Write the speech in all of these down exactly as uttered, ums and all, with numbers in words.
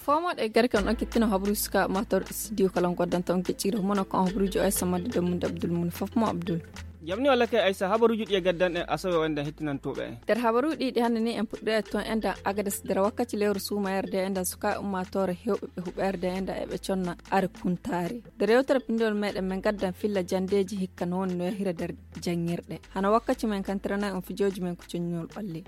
Foomoɗe e garke on okkitino habaruuji suka mator studio kala on goddanta on kecciro mono ko on habaruuji o aysa madde dammude abdul mun fof mo abdul. Jamni walla kay aysa habaruuji ɗi e gaddan en asawe o enden hettinantooɓe en. Nder habaruuji ɗi hannde ni en puɗɗo e toon enden agades nder wakkati lewru suumayerde enden suka ummatore hewɓe ɓe huɓerde enden eɓe conna are kuntaari. Nder yewtere pinndol meɗen men gaddan filla jandeeji hikka no woni no yahira nder janngirɗe hano wakkati men kantirana on fijooji men ko coññol ɓalli.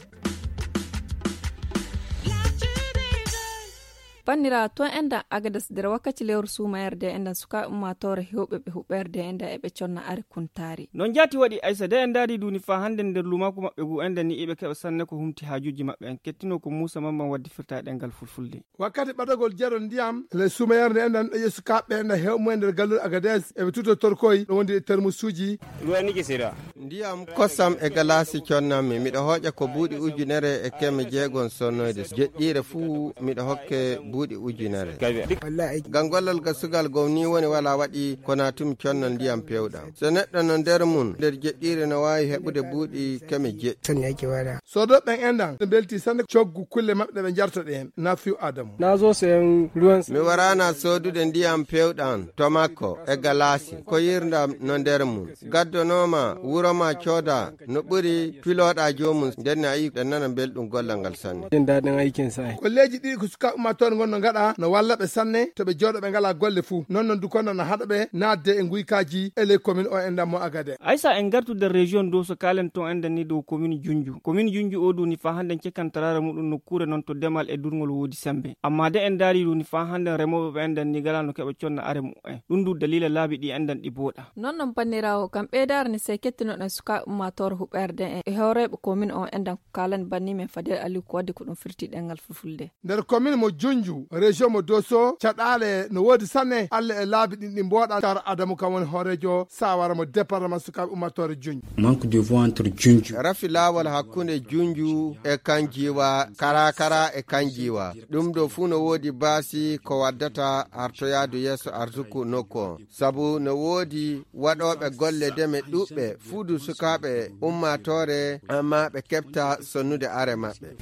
Banniraawo, to enɗan Agadas nder wakkati lewru suumayerde, enɗan sukaaɓe ummaatoore heewɓe ɓe huɓeerde, enɗan eɓe conna are kuntaari. Noon jaati waɗi, Aysa, de en ndaari duuni faa hannden nder luumaaku maɓɓe ngu, enɗan ni iɓe keɓa sanne ko humti haajuuji maɓɓe. En kettino ko Muusa Mamman waddi firta e ɗemngal fulfulde. Wakkati ɓadagol jero ndiyam le suumayerde, enɗan ɗoƴe sukaaɓe enɗan heewɓe mumen nder gallol Agades, eɓe tuto torkoy ɗo wondi e termusuuji. Ruwan niki sira. Ndiyam kosam e galaasi connanmi. Miɗo hooƴa ko buuɗi ujunere e keme jeegom sonnoyde. Jeɗɗiire fuu miɗo hokke buuɗi ujunere. Ngam gollal gasugal gom ni woni wala waɗi ko natumi connal ndiyam pewɗam. So neɗɗo no nder mum, nder jeɗɗiire no waawi heɓude buuɗi keme jeɗɗi. Soodoɓe ɓen enɗan no mbelti sanne coggu kulle maɓɓe ɗe ɓe njarto ɗeen. Nafiu Adamu. Mi waraana soodude ndiyam pewɗam to makko e galaasi ko yirndam no nder mum. Gaddonooma wuro ma cooda no ɓuri pilooɗa joomum, nden ne a yii ɓe nana belɗum gollal ngal sanne. Jin daɗin aikin sa. Golleeji ɗiɗi ko sukaaɓe ummaatoore ngon no ngaɗa no walla ɓe sanne to ɓe jooɗo ɓe ngalaa golle fuu. Non non du kono no haɗa ɓe naatde e nguykaaji e ley commune o enɗan mo Agade. Aysa en ngartu nder région Doso kaalen toon enɗan ni dow commune Junju. Commune Junju o duuni faa hannden cekkantaraare muɗum nokkuure noon to demal e durngol woodi semmbe. Ammaa de en ndaari duuni faa hannden remooɓe ɓe enɗan ni ngalaa no keɓa conna are muɓɓen. Ɗum du daliila laabi ɗi enɗan ɗi booɗa. Non non banniraawo, ngam ɓeydaare ne sey kettinoɗen sukaaɓe ummaatoore huɓeerde en e hooreeɓe commune o enɗan ko kaalani banni men Fadel Aliou ko wadde ko ɗum firti ɗemngal fulfulde. Nder commune mo Junju, région mo Doso, caɗaale no woodi sanne, Alla e laabi ɗin ɗi mbooɗa Tar Adamu kam woni hooreejo sawara mo département sukaaɓe ummaatoore Junju. Manque de voie entre Junju. Rafi laawol hakkunde Junju e Kanjiwa, Karakara e Kanjiwa. Ɗum ɗo fuu no woodi baasi ko waddata artoyaadu yeeso arsuku nokku on. Sabu no woodi waɗooɓe golle deme ɗuɓɓe fuudu sukaaɓe ummaatoore, ammaa ɓe keɓta sonnude are maɓɓe.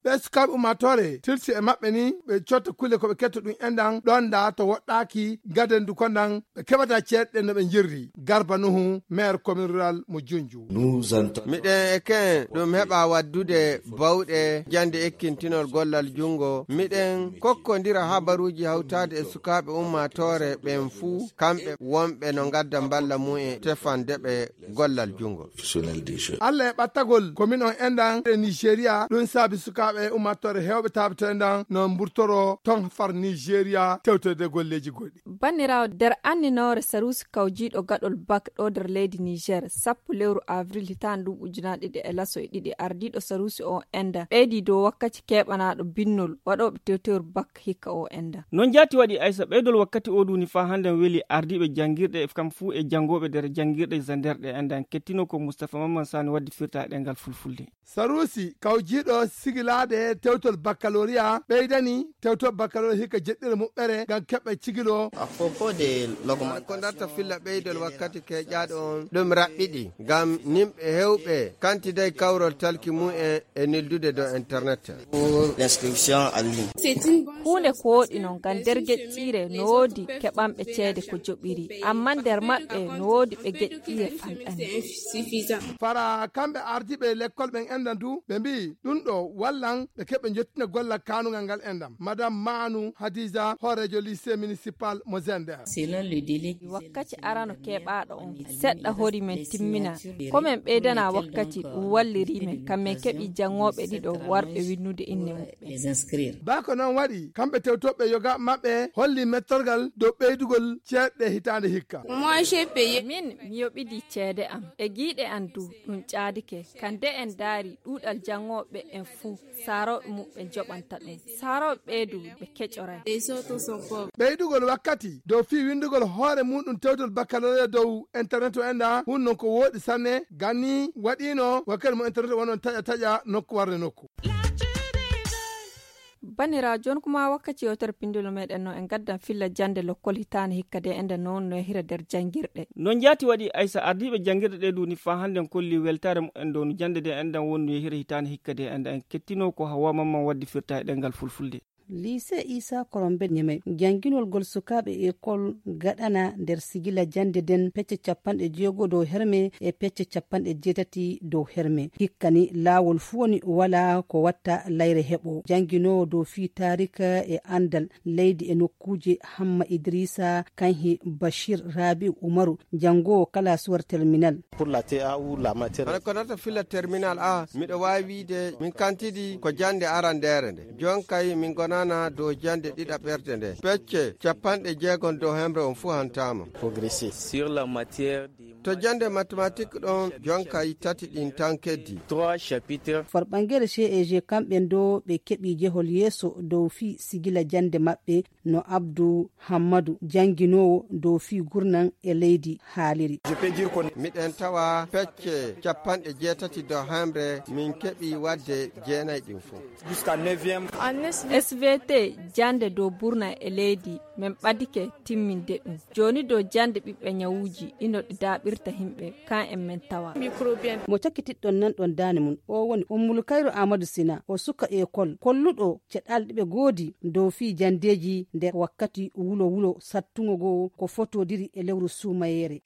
Ɓe sukaaɓe ummaatoore tilsi e maɓɓe ni ɓe cotta kulle ko ɓe ketta ɗum enɗan ɗon da to woɗɗaaki gaden du konɗan ɓe keɓata ceeɗe no ɓe jirri. Garba Nuhu, maire commune rural mo Junju. Miɗen e ken ɗum heɓa waddude bawɗe jannde ekkintinol gollal junngo. Miɗen kokkondira habaruuji hawtaade e sukaaɓe ummaatoore ɓen fuu, kamɓe wonɓe no ngadda mballa mum e tefande ɓe gollal junngo. Alla e ɓattagol commune on enɗan e Nigeria, ɗum saabi sukaaɓe ummaatoore heewɓe taabito enɗan no mburtoro ton far Nigeria tewtorde golleeji goɗɗi. Banniraawo, nder anninoore saruusi kawjiiɗo gaɗol bak ɗo nder leydi Niger, sappo lewru avril hitaande ɗum ujunaaɗe ɗiɗi e laso e ɗiɗi, ardiiɗo saruusi o enɗan ɓeydi dow wakkati keɓanaaɗo binnol waɗooɓe tewtewru bak hikka o enɗan. Noon jaati waɗi, Aysa, ɓeydol wakkati o duuni faa hannden weli ardiiɓe janngirɗe kam fuu e janngooɓe nder janngirɗe Zander ɗe enɗan kettino ko Mustapha Mamman Sani waddi firta e ɗemngal fulfulde. Saruusi kawjiiɗo sigilaade tewtol baccalauréat ɓeydani tewtol baccalauréat hikka jeɗɗire muɓɓere ngam keɓɓe cigilo. Ko darta filla ɓeydol wakkati keƴaaɗo on ɗum raɓɓiɗi ngam nimɓe heewɓe kantiday kawrol talki mum en e neldude dow internet. Huunde ko woɗi noon ngam nder geƴƴiire no woodi keɓanɓe ceede ko joɓiri, ammaa nder maɓɓe no woodi ɓe geƴƴiire fanɗani. Fara kamɓe ardiiɓe lekkol ɓen enɗan du ɓe mbiyi ɗum ɗo wallan ɓe keɓa jottina gollal kaanungal ngal enɗan. Madame Manu Hadiza, hooreejo lycée municipal mo Zender. Wakkati arano keɓaaɗo on seɗɗa hori men timmina. Ko men ɓeydana wakkati ɗum walliri men kam men keɓi janngooɓe ɗiɗo warɓe winnude inne muɓɓe. Baa ko noon waɗi, kamɓe tewtooɓe yoga maɓɓe holli mettorgal dow ɓeydugol ceeɗɗe hitaande hikka. Min mi yoɓidi ceede am e giiɗe am du ɗum caadike. Kam de en ndaari ɗuuɗal janngooɓe en fuu, saarooɓe muɓɓen joɓanta ɗum. Saarooɓe ɓee du ɓe keƴoray. Ɓeydugol wakkati dow fii winndugol hoore muɗum tewtol baccalauréat dow internet o enɗan hun non ko wooɗi sanne. Ganni waɗiino wakkati mo internet wonno taƴa taƴa nokku warde nokku. Banira jooni kuma wakkaci yewtere pindilo meɗen no en gaddan filla jannde lokkol hitaande hikka de enden no wonno e hira nder janngirɗe. No njaati waɗi Aysa, ardiiɓe janngirɗe ɗe duuni faa hannden kolli weltaare mumen dow no jannde de enden wonno e hira hitaande hikka de enden en kettinoo ko Hawa Mamman waddi firta e ɗemngal Fulfulde. Liise Isa Korombe Ñemey, jannginol gol sukaaɓe ekol gaɗana nder sigila jannde nden pecce capanɗe jeego dow herme e pecce capanɗe jeetati dow herme. Hikka ni laawol fuu woni walaa ko watta layre heɓo. Jannginoowo dow fii taarika e anndal leydi e nokkuuje Hamma Idrisa Kanhi Bashir Rabi'u Umaru, janngoowo kala suwar terminal. Pour la T A ou la matière. Hano ko nata fila terminal A, miɗo waawi wiide min kantidi ko jannde arandeere nde. Jonkay min gonana dow jannde ɗiɗaɓerde nde. Pecce capanɗe jeegom dow hemre on fuu hantaama. Progresser. Sur la matière des To jannde mathématique ɗon jonkay tati ɗin tan keddi. Trois chapitres. Farɓangere C E G kamɓe ɗo ɓe keɓi jehol yeeso dow fii sigila jannde maɓɓe no Abdu Hammadu jannginoowo dow fii gurnan e leydi haaliri. Miɗen tawa pecce capanɗe jeetati dow hemre min keɓi wadde jeenay ɗin fof. Jusqu'à neuvième. S V T jannde dow burna e leydi min ɓadike timminde ɗum. Jooni dow jannde ɓiɓɓe ñawuuji ino ɗi daaɓirta himɓe kan en min tawa. Mo cakkitiɗɗon nan ɗon daane mum o woni Ummul Kayru Aamadu Sina, o suka ekol kolluɗo ceɗalɗe ɓe goodi dow fii janndeeji nder wakkati wulo wulo sattungo goo ko fotodiri e lewru suumayeere.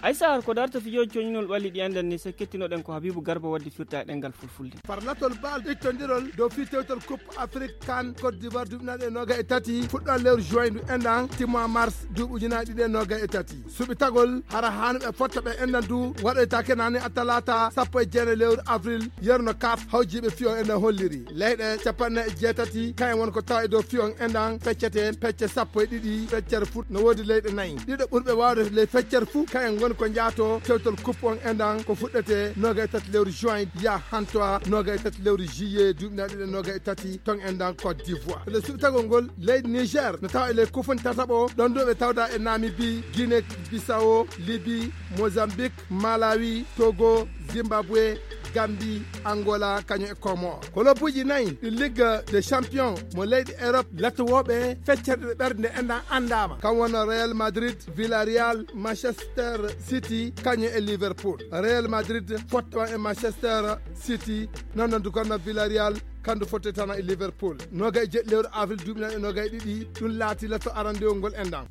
Aysa, har ko darta fijooji coñinol ɓalli ɗi enɗan ni, so kettinoɗen ko Habibu Garba waddi firta e ɗemngal Fulfulde. Farlatol bal ittondirol dow fii tewtol Coupe Afrique kan Côte d'Ivoire duuɓi naɗe noga e tati fuɗɗo lewru juin ndu enɗan timmo mars duuɓi ujunaaji ɗiɗi e noga e tati. Suɓitagol hara hanuɓe fotta ɓe enɗan du waɗoytaake nani a talata sappo e jeenayi lewru avril, yerno kaf hawjiiɓe fii on enɗan holliri. Leyɗe capanɗe e jeetati kayen won ko tawa e dow fii on enɗan feccete pecce sappo e ɗiɗi feccere fuu no woodi leyɗe nayi. Ɗiɗo ɓurɓe waawde ley feccere fuu kayen ngoni ko njaato tewtol coupe on enɗan ko fuɗɗete noga e tati lewru juin yaa hantoa noga e tati lewru juillet duuɓi naɗe ɗiɗi e noga e tati ton enɗan Côte d'Ivoire. Nde suɓitagol ngol leydi Niger no tawa e ley kofoni tataɓo ɗon ɗo ɓe tawda e Namibie, Guinée Bissau, Libye, Mozambique, Malawi, Togo, Zimbabwe, Gambie, Angola kañum e Comores. Kolobuuji nayi ɗi Ligue des Champions mo leyɗi Europe lattowooɓe feccere ɗe ɓernde enɗan anndaama kam wonno Real Madrid, Villarreal, Manchester City kañum e Liverpool. Real Madrid fottama e Manchester City, noon noon du gonno Villarreal kandu fotte tan e Liverpool. Noga e jeɗɗi lewru avril duuɓi nayi e noga e ɗiɗi ɗum laati latto arandewol ngol enɗan.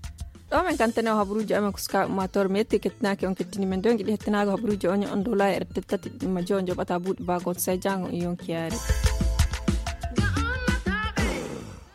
Ɗo men kantane o habaruuji amen ko sukaaɓe ummaatoore metti kettinaaki on kettini men dongi ɗi hettinaaka habaruuji on on dola e tati ɗimma jo joɓata buuɗi bagon sai jango on yonkiyaare.